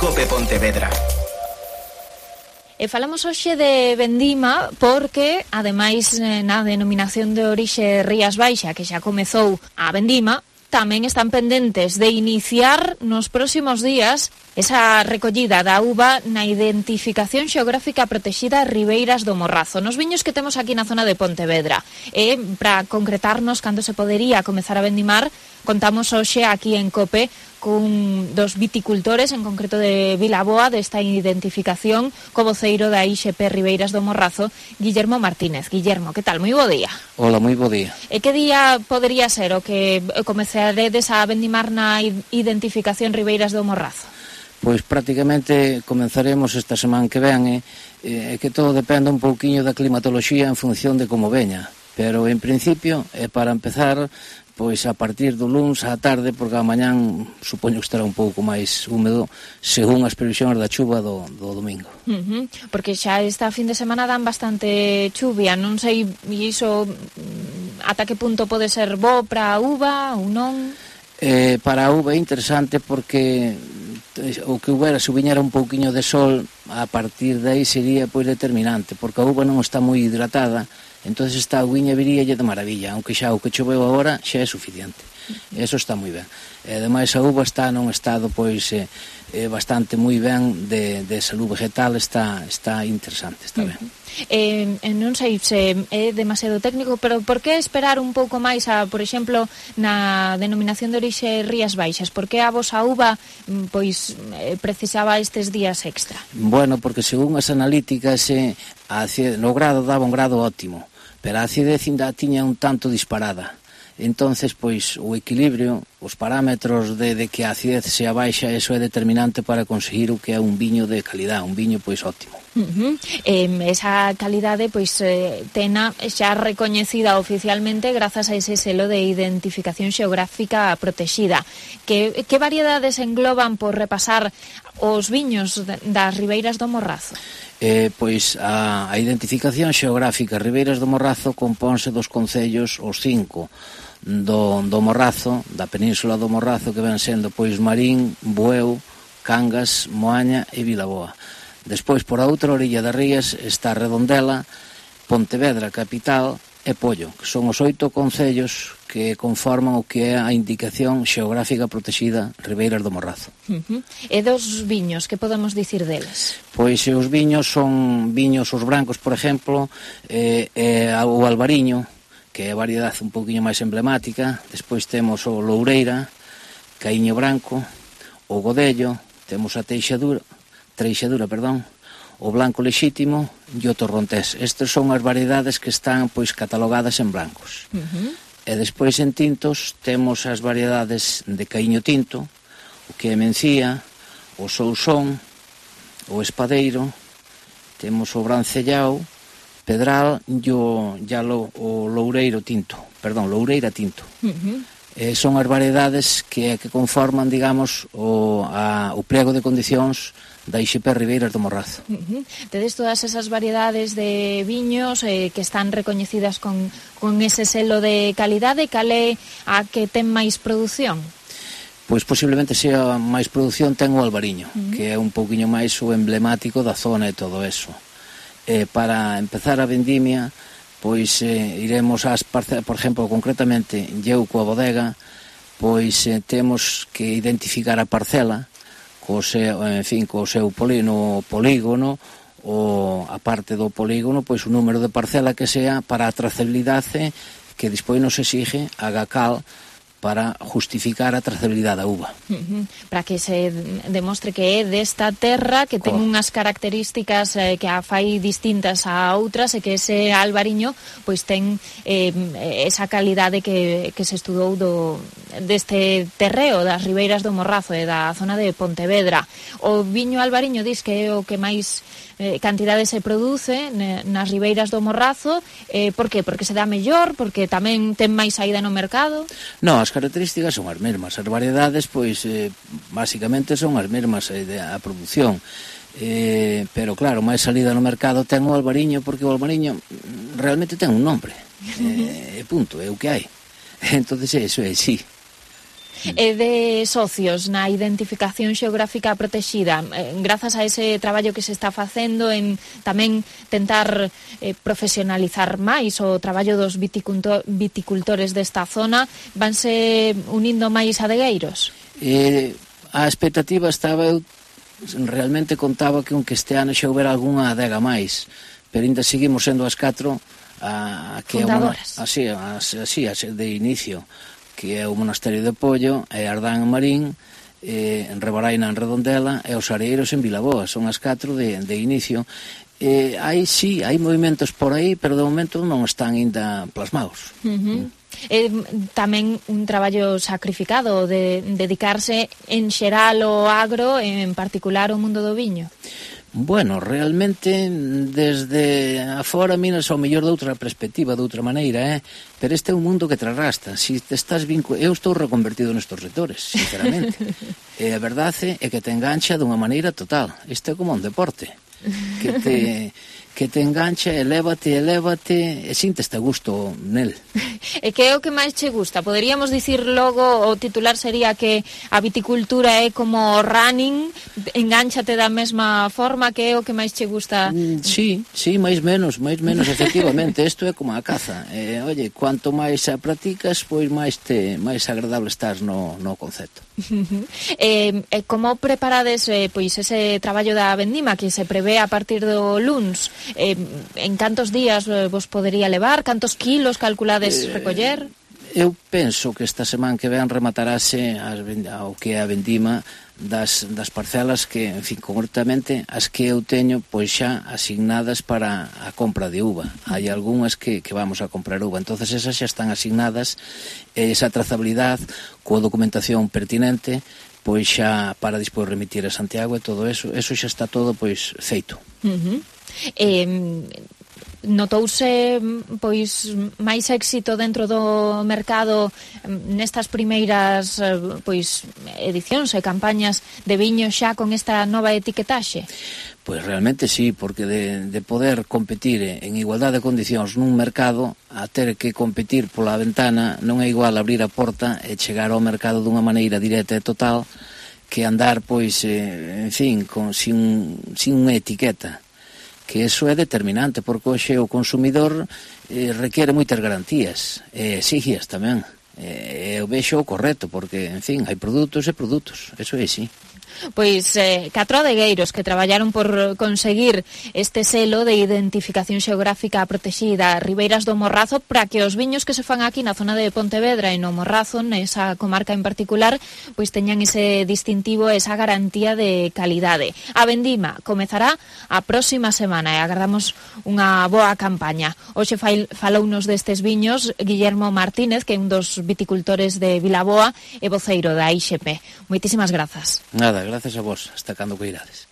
COPE Pontevedra. E falamos hoxe de vendima porque, ademais, na denominación de orixe Rías Baixa, que xa comezou a vendima, tamén están pendentes de iniciar nos próximos días esa recollida da uva na identificación xeográfica protexida Ribeiras do Morrazo, nos viños que temos aquí na zona de Pontevedra. E, para concretarnos cando se podería comezar a vendimar, contamos hoxe aquí en COPE cun dos viticultores, en concreto de Vilaboa, desta identificación, co voceiro da IXP Ribeiras do Morrazo, Guillermo Martínez. Guillermo, que tal? Moi bo día. Hola, moi bo día. E que día podería ser o que comezaredes a vendimar na identificación Ribeiras do Morrazo? Pois prácticamente comenzaremos esta semana que ven, que todo depende un pouquiño da climatoloxía en función de como veña, pero en principio, para empezar, pois a partir do luns á tarde, porque a mañán supoño que estará un pouco máis húmedo según as previsións da chuva do domingo. Porque xa esta fin de semana dan bastante chuvia, non sei iso ata que punto pode ser bo para a uva ou non? Para a uva é interesante porque o que houbera se viñera un pouquiño de sol a partir de aí sería pois determinante, porque a uva non está moi hidratada. Entón esta uviña viríalle de maravilla, aunque xa o que choveu agora xa é suficiente. Eso está moi ben. E ademais a uva está nun estado pois bastante moi ben de salud vegetal, está interesante, está ben. Non sei se é demasiado técnico, pero por que esperar un pouco máis por exemplo, na denominación de orixe Rías Baixas? Por que a vosa uva pois precisaba estes días extra? Bueno, porque según as analíticas no grado daba un grado óptimo, pero a acidez ainda tiña un tanto disparada. Entonces, pois, o equilibrio, os parámetros de que a acidez sea baixa, eso é determinante para conseguir o que é un viño de calidad, un viño, pois, óptimo. Esa calidade, pois, tena xa recoñecida oficialmente grazas a ese selo de identificación xeográfica protexida. Que variedades engloban por repasar os viños das Ribeiras do Morrazo? Pois a identificación xeográfica Ribeiras do Morrazo compónse dos concellos, os 5 do Morrazo, da península do Morrazo, que ven sendo pois Marín, Bueu, Cangas, Moaña e Vilaboa. Despois, por a outra orilla das rías está Redondela, Pontevedra, capital, e Pollo, que son os 8 concellos que conforman o que é a indicación xeográfica protexida Ribeiras do Morrazo. E dos viños, que podemos dicir deles? Pois os viños son viños os brancos, por exemplo, o albariño, que é a variedade un poquinho máis emblemática. Despois temos o loureira, caíño branco, o godello, temos a treixadura, o blanco lexítimo e o torrontés. Estas son as variedades que están pois catalogadas en blancos. E despois en tintos temos as variedades de caíño tinto, o que é mencía, o sousón, o espadeiro, temos o brancellao, pedral e o loureira tinto. Son as variedades que conforman, digamos, o pliego de condicións da IXP Ribeiras do Morrazo. Tedes todas esas variedades de viños que están recoñecidas con ese selo de calidade. Cal é a que ten máis produción? Pois posiblemente sea máis produción ten o albariño, que é un pouquiño máis o emblemático da zona e todo eso. Para empezar a vendimia, pois iremos ás parcelas, por exemplo, concretamente eu coa bodega, pois temos que identificar a parcela co seu polígono, ou a parte do polígono, pois o número de parcela que sea para a trazabilidade que despois nos exige a GACAL para justificar a trazabilidade da uva. Para que se demostre que é desta terra, que ten unhas características que a fai distintas a outras, e que ese albariño pois ten esa calidade que se estudou deste terreo das Ribeiras do Morrazo e da zona de Pontevedra. O viño albariño dis que é o que máis cantidade se produce nas Ribeiras do Morrazo. Por que? Porque se dá mellor? Porque tamén ten máis saída no mercado? Non, as características son as mesmas. As variedades, pois, basicamente son as mesmas a produción. Pero, claro, máis salida no mercado ten o albariño, porque o albariño realmente ten un nombre. Punto, é o que hai. Entonces, eso é, sí. E de socios na identificación xeográfica protexida, grazas a ese traballo que se está facendo en tamén tentar profesionalizar máis o traballo dos viticultores desta zona, vanse unindo máis adegueiros? A expectativa estaba, eu realmente contaba que este ano xa houbera algunha adega máis, pero ainda seguimos sendo as 4 fundadoras. Así, de inicio, que é o Monasterio de Pollo, é Ardán en Marín, en Rebaraina en Redondela e os Areiros en Vilaboa. Son as 4 de inicio. Hai movimentos por aí, pero de momento non están ainda plasmados. Tamén un traballo sacrificado de dedicarse en xeral ao agro, en particular ao mundo do viño. Bueno, realmente, desde afora miras ao mellor de outra perspectiva, de outra maneira, pero este é un mundo que te arrastra. Si te estás eu estou reconvertido nestes sectores, sinceramente. E a verdade é que te engancha dunha maneira total. Isto é como un deporte, que te engancha, elévate, e sinteste a gusto nel. E que é o que máis che gusta? Poderíamos dicir logo, o titular sería que a viticultura é como o running, engánchate da mesma forma, que é o que máis che gusta? Sí, máis menos, efectivamente. Isto é como a caza. Oye, cuanto máis a practicas, pois máis agradable estás no concepto. Como preparades pois ese traballo da vendima que se prevé a partir do luns? En cantos días vos podería levar? Cantos kilos calculades recoller? Eu penso que esta semana que ven rematarase o que é a vendima das parcelas que, en fin, concretamente as que eu teño pois xa asignadas para a compra de uva. Hai algunhas que vamos a comprar uva, entonces esas xa están asignadas, esa trazabilidade coa documentación pertinente, pois xa para despois remitir a Santiago e todo eso xa está todo pois feito. Notouse pois máis éxito dentro do mercado nestas primeiras pois edicións e campañas de viño xa con esta nova etiquetaxe? Pois realmente sí, porque de poder competir en igualdade de condicións nun mercado a ter que competir pola ventana non é igual abrir a porta e chegar ao mercado dunha maneira directa e total que andar pois, en fin, sin unha etiqueta, que eso é determinante, porque hoxe o consumidor requiere moitas garantías, e exígias tamén. Eu vexo o correcto, porque, en fin, hai produtos e produtos, eso é así. Pois 4 adegueiros que traballaron por conseguir este selo de identificación xeográfica protexida Ribeiras do Morrazo, para que os viños que se fan aquí na zona de Pontevedra e no Morrazo, nesa comarca en particular, pois teñan ese distintivo, esa garantía de calidade. A vendima comezará a próxima semana e agardamos unha boa campaña. Hoxe falounos destes viños Guillermo Martínez, que é un dos viticultores de Vilaboa e voceiro da IXP. Moitísimas grazas. Nada, gracias a vos, hasta cando coirades.